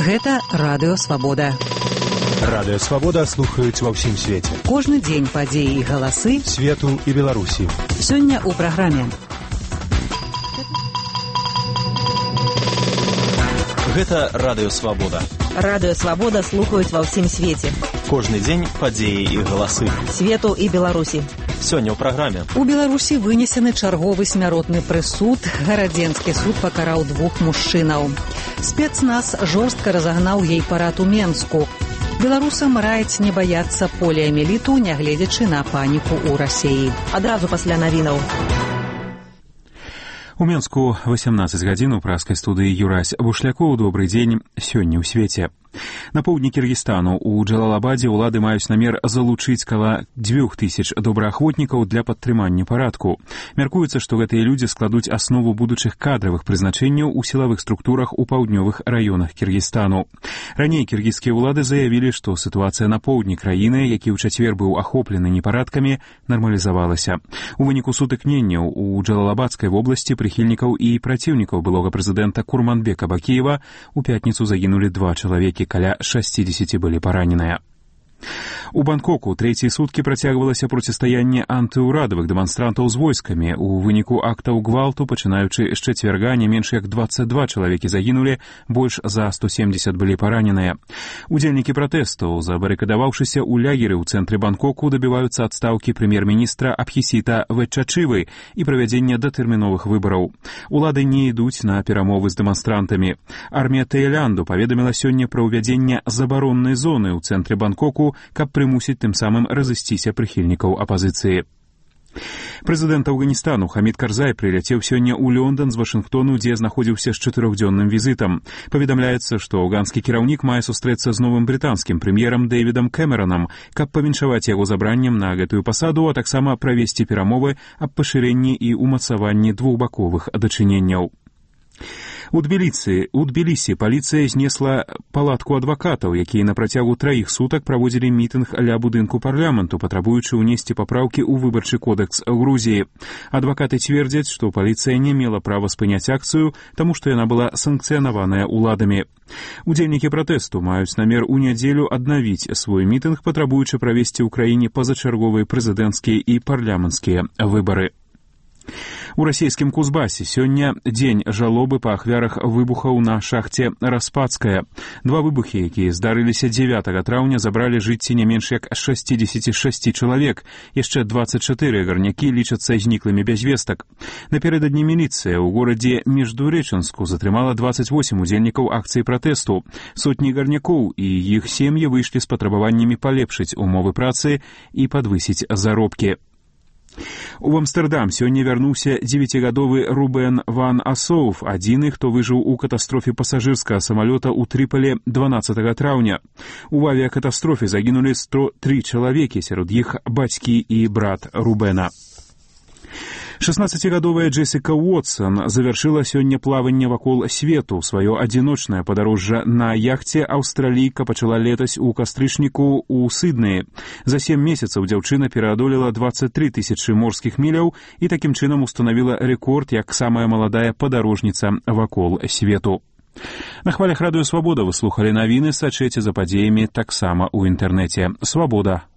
Гэта Радыё Свабода. Радыё Свабода слухаюць ва ўсім свеце. Кожны дзень падзеі і галасы свету і Беларусі. Сёння ў праграме. Гэта Радыё Свабода. Радыё Свабода слухаюць ва ўсім свеце. Кожны дзень падзеі і галасы свету і Беларусі. Сёння ў праграме. У Беларусі вынесены чарговы смяротны прысуд. Гарадзенскі суд пакараў 2 мужчынаў. Спецназ жорстка разагнаў гей-парад у Менску. Беларусам раіць не баяцца поліамеліту, нягледзячы на паніку ў Расіі. Адразу пасля навінаў. У Менску 18 гадзін у праскай студыі Юрась Бушлякоў. Добрый дзень. Сёння ў свеце. На поўдні Кіргізстану у Джалалабадзе ўлады маюць намер залучыць каля 2000 добраахвотнікаў для падтрымання парадку. Мяркуецца, што гэтыя людзі складуць аснову будучых кадравых прызначэнняў у сілавых структурах у паўднёвых раёнах Кіргізстану. Раней кіргізскія ўлады заявілі, што сітуацыя на поўдні краіны, які ў чацвер быў ахоплены непарадкамі, нармалізавалася. У выніку сутыкненняў у Джалалабадскай вобласці прыхільнікаў і праціўнікаў былога прэзідэнта Курманбека Бакіева у пятніцу загінулі 2 чалавекі, каля 60 былі параненыя. У Бангкоку трэція суткі працягвалася процістаянне антыўрадавых дэманстрантаў з войскамі. У выніку актаў гвалту, пачынаючы з чацвярга, не менш як 22 чалавекі загінулі, больш за 170 былі параненыя. Удзельнікі пратэстаў, забарыкадаваўшыся ў лягеры ў цэнтры Бангкоку, дабіваюцца адстаўкі прэм'ер-міністра Абхісіта Вэтчачывы і правядзення датэрміновых выбараў. Улады не ідуць на перамовы з дэманстрантамі. Армія Таілянду паведаміла сёння пра ўвядзенне забароннай зоны ў цэнтры Бангкоку, каб прымусіць тым самым разысціся прыхільнікаў апазіцыі. Прэзідэнт Афганістану Хамід Карзай прыляцеў сёння ў Лондон з Вашынгтону, дзе знаходзіўся з 4-дзённым візітам. Паведамляецца, што афганскі кіраўнік мае сустрэцца з новым брытанскім прэм'ерам Дэвідам Кэмеранам, каб павіншаваць яго забраннем на гэтую пасаду, а таксама правесці перамовы аб пашырэнні і ўмацаванні двухбаковых дачыненняў. У Тбілісі паліцыя знесла палатку адвакатаў, якія на працягу 3 сутак праводзілі мітынг ля будынку парламенту, патрабуючы ўнесці папраўкі ў выбарчы кодэкс Грузіі. Адвакаты цвердзяць, што паліцыя не мела права спыняць акцыю, таму што яна была санкцыянаваная ўладамі. Удзельнікі пратэсту маюць намер у нядзелю аднавіць свой мітынг, патрабуючы правесці ў краіне пазачарговыя прэзідэнцкія і парламенцкія выбары. У расійскім Кузбасе сёння дзень жалобы па ахвярах выбухаў на шахце Распадская. 2 выбухі, якія здарыліся 9 траўня, забралі жыцці не менш як 66 чалавек. Яшчэ 24 гарнякі лічацца зніклымі без вестак. Напярэдадні міліцыя ў горадзе Междуреченску затрымала 28 удзельнікаў акцыі пратэсту. Сотні гарнякоў і іх сем'і выйшлі з патрабаваннямі палепшыць умовы працы і падвысіць заробкі. У Амстэрдам сёння вярнуўся 9гадовы Рубен ван Асоўф, адзіны, хто выжыў у катастрофе пасажырскага самалёта ў Трыполі 12 траўня. У авіякатастрофе загінулі 103 чалавекі, сярод іх бацькі і брат Рубена. 16гадовая Джесіка Уотсон завяршыла сёння плаванне вакол свету. Сваё адзіночнае падарожжа на яхце аўстралійка пачала летась у кастрычніку ў Сіднеі. За 7 месяцаў дзяўчына пераадолела 23 000 морскіх міляў і такім чынам устанавіла рэкорд як самая маладая падарожніца вакол свету. На хвалях Радыё Свабода вы слухалі навіны, сачыце за падзеямі таксама ў інтэрнэце. Свабода.